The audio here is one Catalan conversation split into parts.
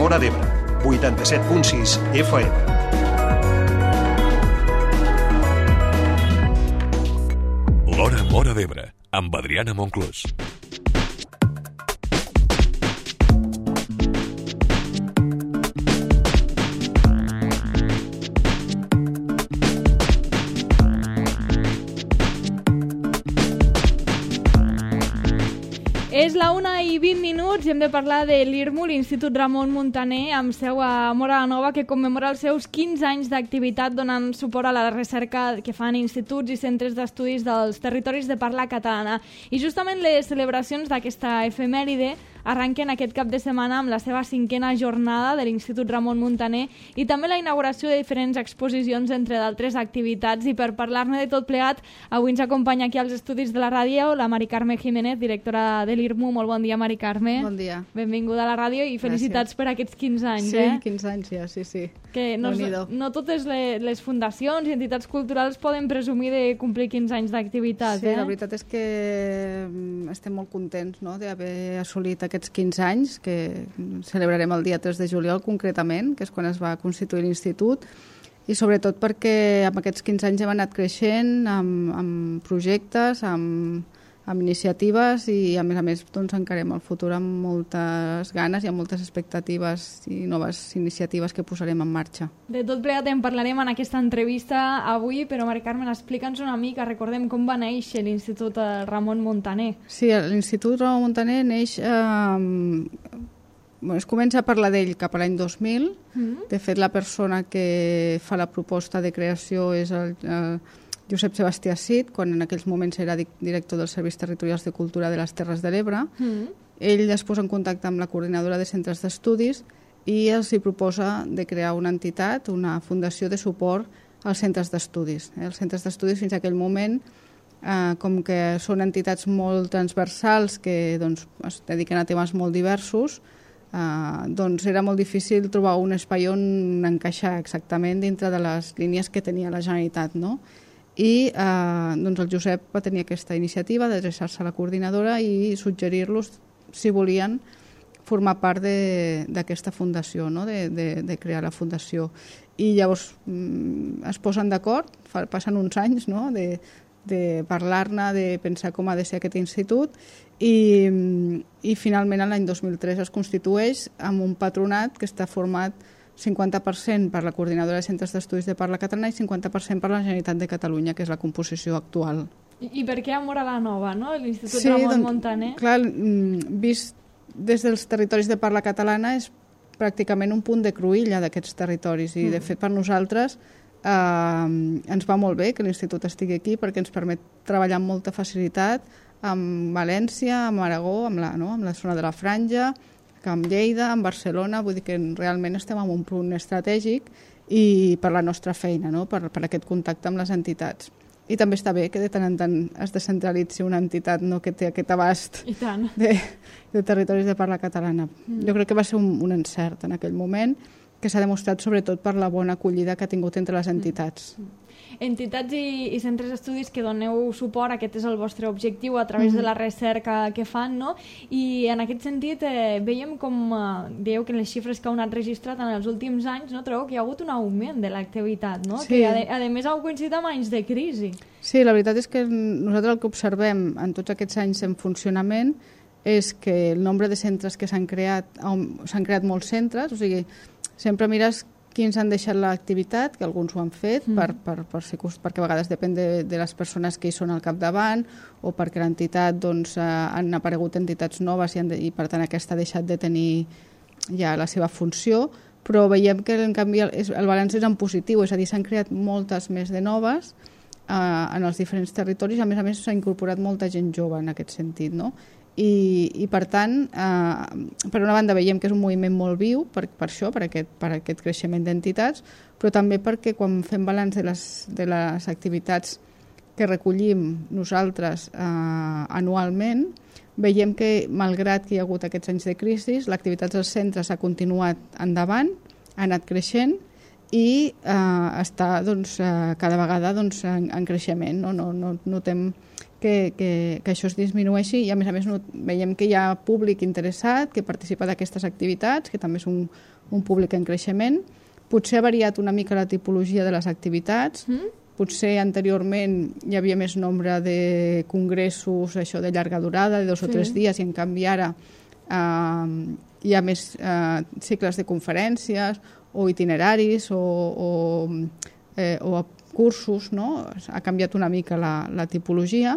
Móra d'Ebre, 87.6 FM. L'Hora Móra d'Ebre, amb Adriana Monclús. És la 1:20 i hem de parlar de l'IRMU, l'Institut Ramon Muntaner, amb seu a Móra la Nova, que commemora els seus 15 anys d'activitat donant suport a la recerca que fan instituts i centres d'estudis dels territoris de parla catalana. I justament les celebracions d'aquesta efemèride arrenquen aquest cap de setmana amb la seva 5a jornada de l'Institut Ramon Muntaner i també la inauguració de diferents exposicions, entre d'altres activitats. I per parlar-ne de tot plegat, avui ens acompanya aquí als estudis de la ràdio la Mari Carme Jiménez, directora de l'IRMU. Molt bon dia, Mari Carme. Bon dia. Benvinguda a la ràdio i felicitats per aquests 15 anys. Sí, 15 anys ja, sí. Que no totes les fundacions i entitats culturals poden presumir de complir 15 anys d'activitat. Sí, la veritat és que estem molt contents, no?, d'haver assolit aquests 15 anys, que celebrarem el dia 3 de juliol concretament, que és quan es va constituir l'institut, i sobretot perquè amb aquests 15 anys hem anat creixent amb projectes, amb iniciatives i a més doncs, encarem el futur amb moltes ganes i amb moltes expectatives i noves iniciatives que posarem en marxa. De tot plegat en parlarem en aquesta entrevista avui, però Mari Carmen, explica'ns una mica, recordem com va néixer l'Institut Ramon Muntaner. Sí, l'Institut Ramon Muntaner neix... es comença a parlar d'ell cap a l'any 2000. De fet, la persona que fa la proposta de creació és el Josep Sebastià Cid, quan en aquells moments era director dels Serveis Territorials de Cultura de les Terres de l'Ebre. Ell es posa en contacte amb la coordinadora de centres d'estudis i els proposa de crear una entitat, una fundació de suport als centres d'estudis. Els centres d'estudis fins a aquell moment, com que són entitats molt transversals que doncs, es dediquen a temes molt diversos, doncs era molt difícil trobar un espai on encaixar exactament dintre de les línies que tenia la Generalitat, no? I doncs el Josep va tenir aquesta iniciativa d'adreçar-se a la coordinadora i suggerir-los si volien formar part d'aquesta fundació, no? de crear la fundació. I llavors es posen d'acord, passen uns anys, no? de parlar-ne, de pensar com ha de ser aquest institut i finalment l'any 2003 es constitueix amb un patronat que està format 50% per la coordinadora de centres d'estudis de parla catalana i 50% per la Generalitat de Catalunya, que és la composició actual. I per què a Móra la Nova, no? L'Institut Ramon Muntaner? Clar, vist des dels territoris de parla catalana és pràcticament un punt de cruïlla d'aquests territoris i de fet per nosaltres ens va molt bé que l'institut estigui aquí perquè ens permet treballar amb molta facilitat amb València, amb Aragó, amb la zona de la Franja, amb Lleida, amb Barcelona, vull dir que realment estem en un punt estratègic i per la nostra feina, no? per aquest contacte amb les entitats. I també està bé que de tant en tant es descentralitzi una entitat, no?, que té aquest abast de territoris de parla catalana. Jo crec que va ser un encert en aquell moment, que s'ha demostrat sobretot per la bona acollida que ha tingut entre les entitats. Entitats i centres d'estudis que doneu suport, aquest és el vostre objectiu a través de la recerca que fan, no? I en aquest sentit veiem com, dèieu que les xifres que heu anat registrat en els últims anys, no trobeu que hi ha hagut un augment de l'activitat, no? Sí. Que a més heu coincidit amb anys de crisi. Sí, la veritat és que nosaltres el que observem en tots aquests anys en funcionament és que el nombre de centres que s'han creat molts centres, o sigui, sempre mires quins han deixat l'activitat, que alguns ho han fet perquè a vegades depèn de les persones que hi són al capdavant o perquè l'entitat doncs, han aparegut entitats noves i per tant aquesta ha deixat de tenir ja la seva funció, però veiem que en canvi el balanç és en positiu, és a dir, s'han creat moltes més de noves en els diferents territoris, a més s'ha incorporat molta gent jove en aquest sentit, no? I per tant, per una banda veiem que és un moviment molt viu per això, per aquest creixement d'entitats, però també perquè quan fem balanç de les activitats que recollim nosaltres anualment, veiem que malgrat que hi ha hagut aquests anys de crisi, l'activitat dels centres ha continuat endavant, ha anat creixent i està doncs, cada vegada doncs, en creixement. No notem que això es disminueixi, i a més veiem que hi ha públic interessat que participa d'aquestes activitats, que també és un públic en creixement. Potser ha variat una mica la tipologia de les activitats, potser anteriorment hi havia més nombre de congressos, això de llarga durada, de 2 o 3 dies, i en canvi ara hi ha més cicles de conferències o itineraris o cursos, no? Ha canviat una mica la tipologia,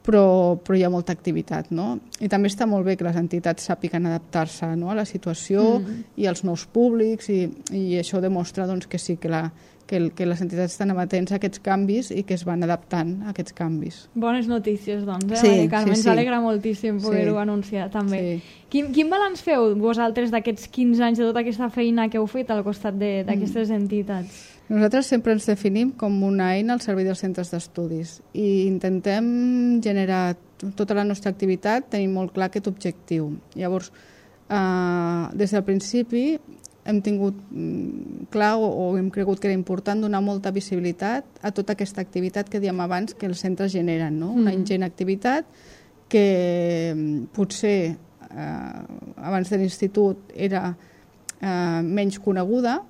però hi ha molta activitat, no? I també està molt bé que les entitats sàpiguen adaptar-se, no?, a la situació i als nous públics, i això demostra doncs, que sí, que les entitats estan amatents a aquests canvis i que es van adaptant a aquests canvis. Bones notícies, doncs, Sí, Maria Carme. sí. Ens alegra moltíssim poder-ho anunciar, també. Sí. Quin balanç feu vosaltres d'aquests 15 anys, de tota aquesta feina que heu fet al costat d'aquestes entitats? Nosaltres sempre ens definim com una eina al servei dels centres d'estudis i intentem generar tota la nostra activitat, tenim molt clar aquest objectiu. Llavors, des del principi hem tingut clar o hem cregut que era important donar molta visibilitat a tota aquesta activitat que dèiem abans que els centres generen, no? Una ingent activitat que potser abans de l'institut era menys coneguda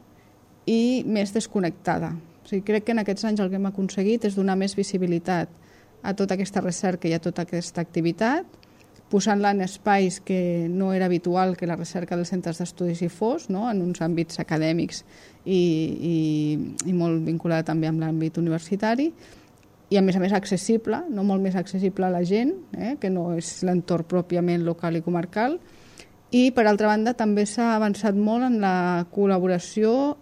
i més desconnectada. O sigui, crec que en aquests anys el que hem aconseguit és donar més visibilitat a tota aquesta recerca i a tota aquesta activitat, posant-la en espais que no era habitual que la recerca dels centres d'estudis hi fos, no?, en uns àmbits acadèmics i molt vinculada també amb l'àmbit universitari, i a més accessible, no molt més accessible a la gent, que no és l'entorn pròpiament local i comarcal. I, per altra banda, també s'ha avançat molt en la col·laboració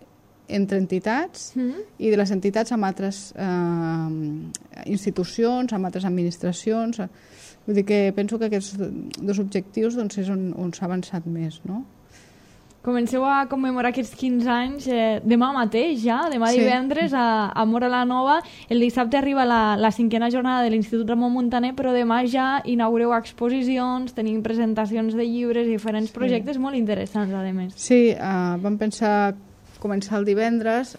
entre entitats i de les entitats amb altres institucions, amb altres administracions. Vull dir que penso que aquests 2 objectius doncs, és on s'ha avançat més, no? Comenceu a commemorar aquests 15 anys demà mateix ja, demà divendres a Móra la Nova. El dissabte arriba la 5a jornada de l'Institut Ramon Muntaner, però demà ja inaugureu exposicions, tenim presentacions de llibres, diferents projectes molt interessants, a més. Sí, vam pensar començar el divendres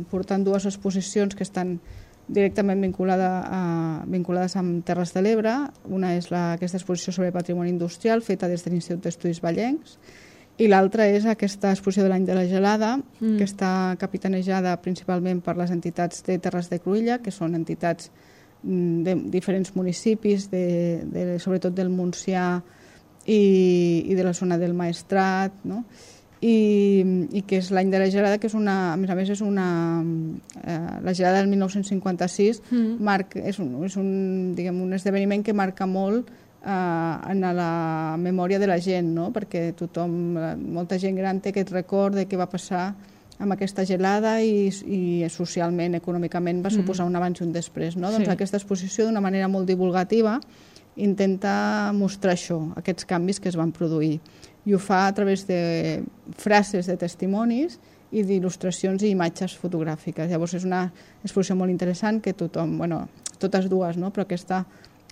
portant 2 exposicions que estan directament vinculades amb Terres de l'Ebre. Una és aquesta exposició sobre patrimoni industrial feta des de l'Institut d'Estudis Vallencs, i l'altra és aquesta exposició de l'any de la gelada, que està capitanejada principalment per les entitats de Terres de Cruïlla, que són entitats de diferents municipis, sobretot del Montsià i de la zona del Maestrat, no?, i que és l'any de la gelada, que és a més és la gelada del 1956 és un esdeveniment que marca molt en la memòria de la gent, no?, perquè molta gent gran té aquest record de què va passar amb aquesta gelada i socialment, econòmicament va suposar un abans i un després, no? Doncs aquesta exposició, d'una manera molt divulgativa, intenta mostrar això, aquests canvis que es van produir, i ho fa a través de frases de testimonis i d'il·lustracions i imatges fotogràfiques. Llavors és una exposició molt interessant que tothom, totes dues, no?, però aquesta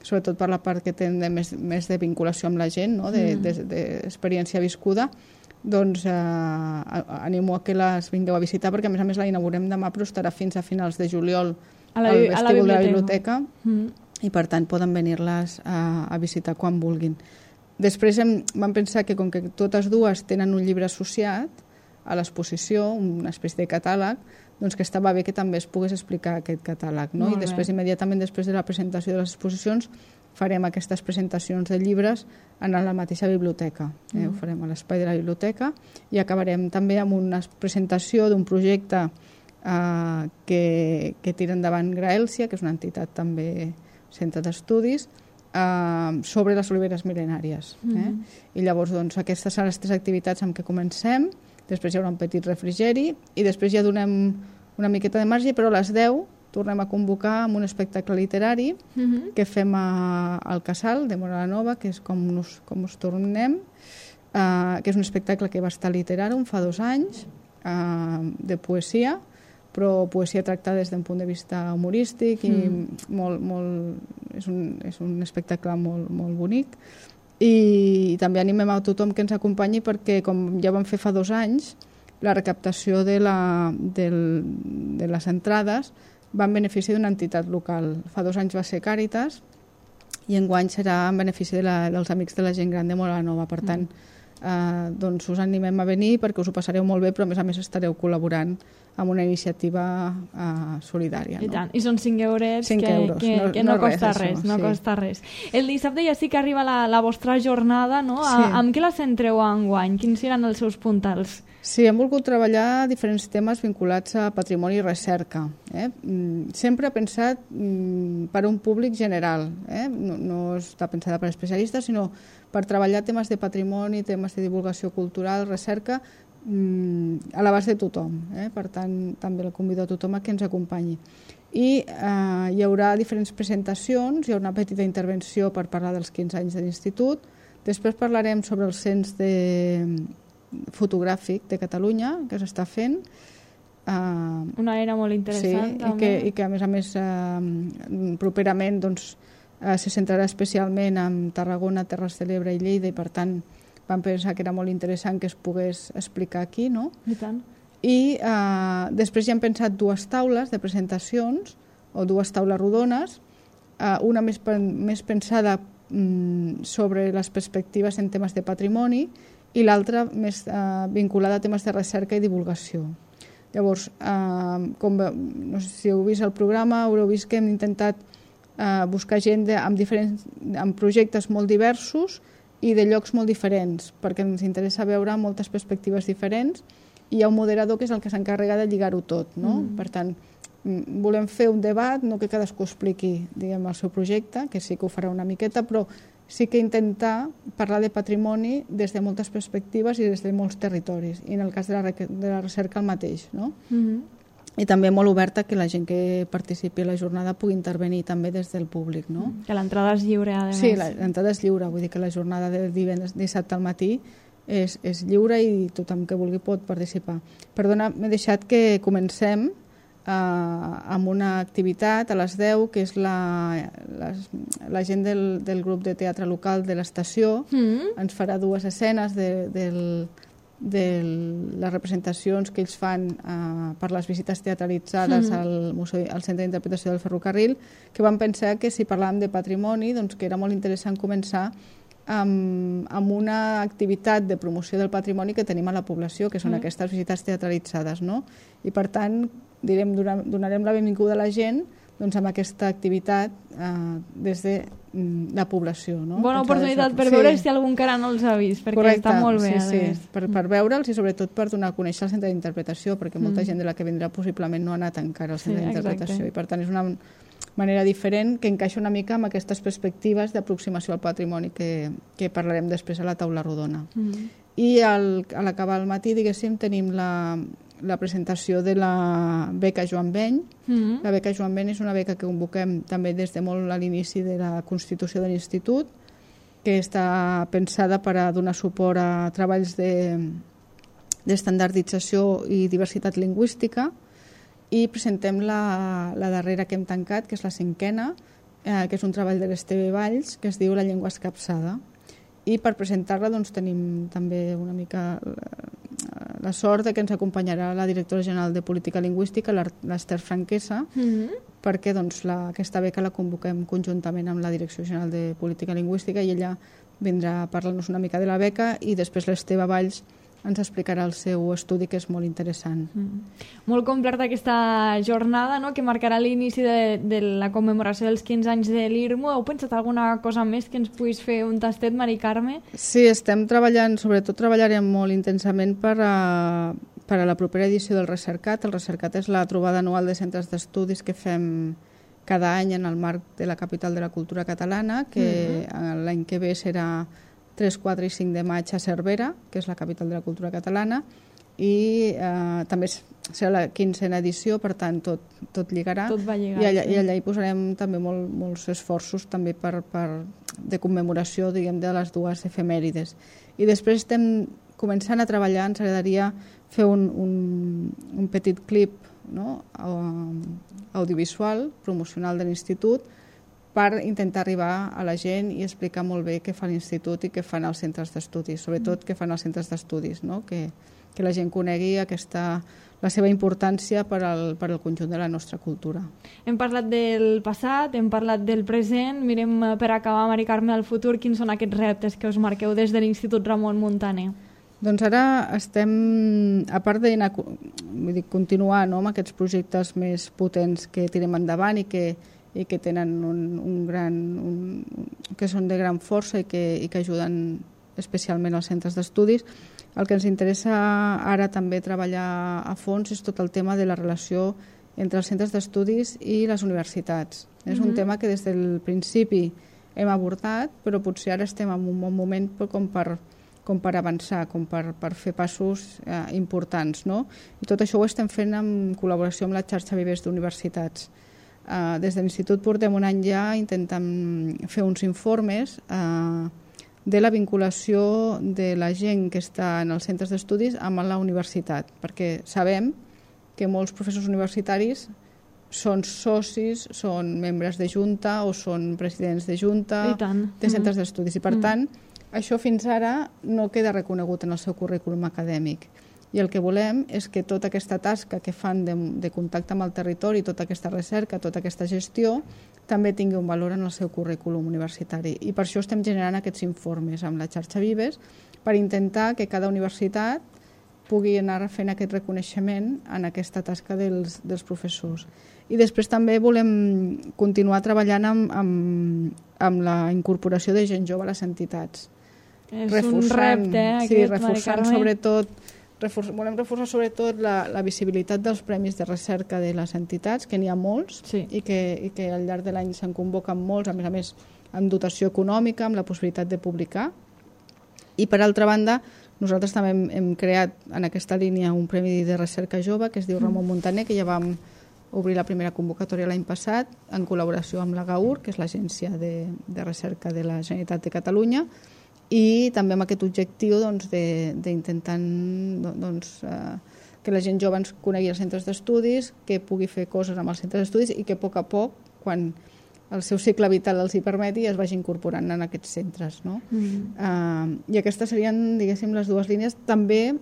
sobretot per la part que té més de vinculació amb la gent, no?, d'experiència viscuda, doncs animo a que les vingueu a visitar, perquè a més la inaugurem demà, però estarà fins a finals de juliol al vestíbul de la biblioteca, i per tant poden venir-les a visitar quan vulguin. Després vam pensar que com que totes dues tenen un llibre associat a l'exposició, una espècie de catàleg, doncs que estava bé que també es pogués explicar aquest catàleg, no? I després, immediatament després de la presentació de les exposicions, farem aquestes presentacions de llibres en la mateixa biblioteca. Ho farem a l'espai de la biblioteca i acabarem també amb una presentació d'un projecte que tira endavant Graèlcia, que és una entitat també centre d'estudis, sobre les oliveres mil·lenàries. I llavors aquestes són les 3 activitats amb què comencem, després hi haurà un petit refrigeri i després ja donem una miqueta de marge, però a les 10 tornem a convocar amb un espectacle literari que fem al Casal de Móra la Nova, que és com us tornem, que és un espectacle que va estar a Literàrum fa 2 anys, de poesia, però poesia tractada des d'un punt de vista humorístic i és un espectacle molt bonic. I també animem a tothom que ens acompanyi perquè, com ja vam fer fa 2 anys, la recaptació de les entrades va en benefici d'una entitat local. Fa 2 anys va ser Càritas i enguany serà en benefici dels amics de la gent gran de Móra la Nova. Per tant, doncs us animem a venir perquè us ho passareu molt bé, però a més estareu col·laborant amb una iniciativa solidària. I tant, i són 5 eurets 5 euros. que no costa res, no costa res. El dissabte ja sí que arriba la vostra jornada, no? Sí. Amb què la centreu enguany? Quins seran els seus puntals? Sí, hem volgut treballar diferents temes vinculats a patrimoni i recerca. Sempre pensat per a un públic general. No està pensada per especialistes, sinó per treballar temes de patrimoni, temes de divulgació cultural, recerca, a l'abast de tothom. Per tant, també el convido a tothom a que ens acompanyi. I hi haurà diferents presentacions, hi haurà una petita intervenció per parlar dels 15 anys de l'institut, després parlarem sobre el cens fotogràfic de Catalunya, que s'està fent. Una eina molt interessant. Sí, i que a més properament se centrarà especialment en Tarragona, Terres de l'Ebre i Lleida, i per tant vam pensar que era molt interessant que es pogués explicar aquí, no? I tant. I després ja hem pensat 2 taules de presentacions, o 2 taules rodones, una més pensada sobre les perspectives en temes de patrimoni i l'altra més vinculada a temes de recerca i divulgació. Llavors, no sé si heu vist el programa, haureu vist que hem intentat buscar gent amb projectes molt diversos i de llocs molt diferents, perquè ens interessa veure moltes perspectives diferents, i hi ha un moderador que és el que s'encarrega de lligar-ho tot, no? Per tant, volem fer un debat, no que cadascú expliqui, diguem, el seu projecte, que sí que ho farà una miqueta, però sí que intentar parlar de patrimoni des de moltes perspectives i des de molts territoris, i en el cas de la recerca el mateix, no? I també molt oberta que la gent que participi a la jornada pugui intervenir també des del públic, no? Que l'entrada és lliure, a més. Sí, l'entrada és lliure, vull dir que la jornada de dissabte al matí és lliure i tothom que vulgui pot participar. Perdona, m'he deixat que comencem amb una activitat a les 10, que és la gent del grup de teatre local de l'estació. Ens farà 2 escenes de les representacions que ells fan per les visites teatralitzades al Centre d'Interpretació del Ferrocarril, que vam pensar que si parlàvem de patrimoni, doncs que era molt interessant començar amb una activitat de promoció del patrimoni que tenim a la població, que són aquestes visites teatralitzades, no? I per tant, donarem la benvinguda a la gent amb aquesta activitat des de la població. Bona oportunitat per veure si algú encara no els ha vist, perquè està molt bé. Sí, per veure'ls i sobretot per donar a conèixer el centre d'interpretació, perquè molta gent de la que vindrà possiblement no ha anat encara al centre d'interpretació, i per tant és una manera diferent que encaixa una mica amb aquestes perspectives d'aproximació al patrimoni que parlarem després a la taula rodona. I a l'acabar el matí, diguéssim, tenim la presentació de la beca Joan Beny. La beca Joan Beny és una beca que convoquem també des de molt a l'inici de la constitució de l'institut, que està pensada per a donar suport a treballs d'estandardització i diversitat lingüística, i presentem la darrera que hem tancat, que és la 5a, que és un treball de l'Esteve Valls, que es diu La llengua escapçada. I per presentar-la tenim també una mica la sort que ens acompanyarà la directora general de Política Lingüística, l'Ester Franquesa, perquè aquesta beca la convoquem conjuntament amb la Direcció General de Política Lingüística, i ella vindrà a parlar-nos una mica de la beca, i després l'Esteve Valls ens explicarà el seu estudi, que és molt interessant. Molt completa aquesta jornada, no?, que marcarà l'inici de la commemoració dels 15 anys de l'IRMU. Heu pensat alguna cosa més que ens puguis fer un tastet, Mari Carme? Sí, estem treballant, sobretot treballarem molt intensament per a la propera edició del Recercat. El Recercat és la trobada anual de centres d'estudis que fem cada any en el marc de la capital de la cultura catalana, que l'any que ve serà 3, 4 i 5 de maig a Cervera, que és la capital de la cultura catalana, i també serà la 15a edició, per tant tot lligarà. Tot va lligar. I allà hi posarem també molts esforços també de commemoració, diguem, de les 2 efemèrides. I després estem començant a treballar, ens agradaria fer un petit clip, no?, audiovisual, promocional de l'institut, per intentar arribar a la gent i explicar molt bé què fa l'institut i què fan els centres d'estudis, sobretot què fan els centres d'estudis, no?, que la gent conegui la seva importància per al conjunt de la nostra cultura. Hem parlat del passat, hem parlat del present. Mirem per acabar, Mari Carme, al futur. Quins són aquests reptes que us marqueu des de l'Institut Ramon Muntaner? Doncs ara estem, a part de continuar amb aquests projectes més potents que tirem endavant i que tenen que són de gran força i que ajuden especialment als centres d'estudis, el que ens interessa ara també treballar a fons és tot el tema de la relació entre els centres d'estudis i les universitats. És un tema que des del principi hem abordat, però potser ara estem en un bon moment com per avançar, com per fer passos importants, no? I tot això ho estem fent en col·laboració amb la xarxa Vives d'universitats. Des de l'Institut portem un any ja intentant fer uns informes de la vinculació de la gent que està en els centres d'estudis amb la universitat, perquè sabem que molts professors universitaris són socis, són membres de junta o són presidents de junta de centres d'estudis i per tant això fins ara no queda reconegut en el seu currículum acadèmic. I el que volem és que tota aquesta tasca que fan de contacte amb el territori, tota aquesta recerca, tota aquesta gestió, també tingui un valor en el seu currículum universitari. I per això estem generant aquests informes amb la xarxa Vives per intentar que cada universitat pugui anar fent aquest reconeixement en aquesta tasca dels professors. I després també volem continuar treballant amb la incorporació de gent jove a les entitats. És un repte, reforçant sobretot, volem reforçar sobretot la visibilitat dels premis de recerca de les entitats, que n'hi ha molts i que al llarg de l'any se'n convoquen molts, a més amb dotació econòmica, amb la possibilitat de publicar. I per altra banda, nosaltres també hem creat en aquesta línia un premi de recerca jove que es diu Ramon Muntaner, que ja vam obrir la primera convocatòria l'any passat en col·laboració amb la GAUR, que és l'Agència de Recerca de la Generalitat de Catalunya, i també amb aquest objectiu d'intentar que la gent jove ens conegui els centres d'estudis, que pugui fer coses amb els centres d'estudis i que a poc, quan el seu cicle vital els hi permeti, es vagi incorporant en aquests centres. No? I aquestes serien, diguéssim, les dues línies. També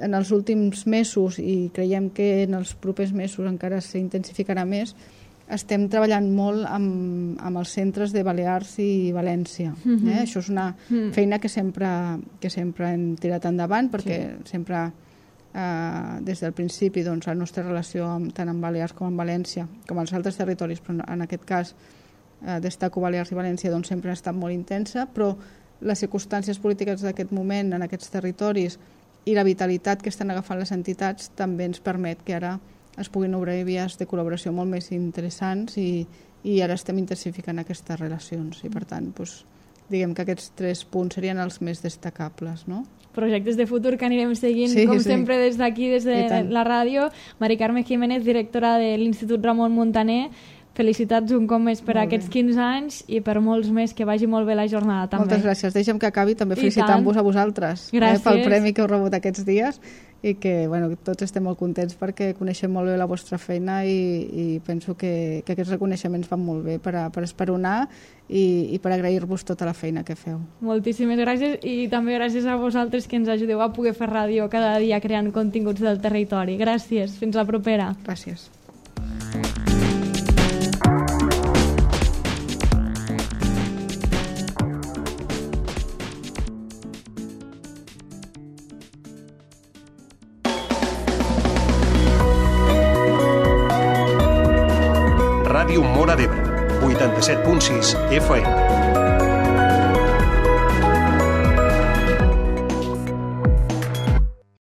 en els últims mesos, i creiem que en els propers mesos encara s'intensificarà més, estem treballant molt amb els centres de Balears i València. Això és una feina que sempre hem tirat endavant, perquè sempre des del principi la nostra relació tant amb Balears com amb València, com als altres territoris, però en aquest cas destaco Balears i València, sempre ha estat molt intensa, però les circumstàncies polítiques d'aquest moment en aquests territoris i la vitalitat que estan agafant les entitats també ens permet que ara es puguin obrir vies de col·laboració molt més interessants i ara estem intensificant aquestes relacions i per tant diguem que aquests 3 punts serien els més destacables, no? Projectes de futur que anirem seguint sempre des d'aquí, des de la ràdio. Mari Carme Jiménez, directora de l'Institut Ramon Muntaner, felicitats un cop més per aquests 15 anys i per molts més, que vagi molt bé la jornada també. Moltes gràcies, deixa'm que acabi també felicitant-vos a vosaltres pel premi que heu rebut aquests dies i que tots estem molt contents perquè coneixem molt bé la vostra feina i penso que aquests reconeixements van molt bé per esperonar i per agrair-vos tota la feina que feu. Moltíssimes gràcies i també gràcies a vosaltres que ens ajudeu a poder fer ràdio cada dia creant continguts del territori. Gràcies, fins la propera. Gràcies. Ràdio Móra d'Ebre, 87.6 FM.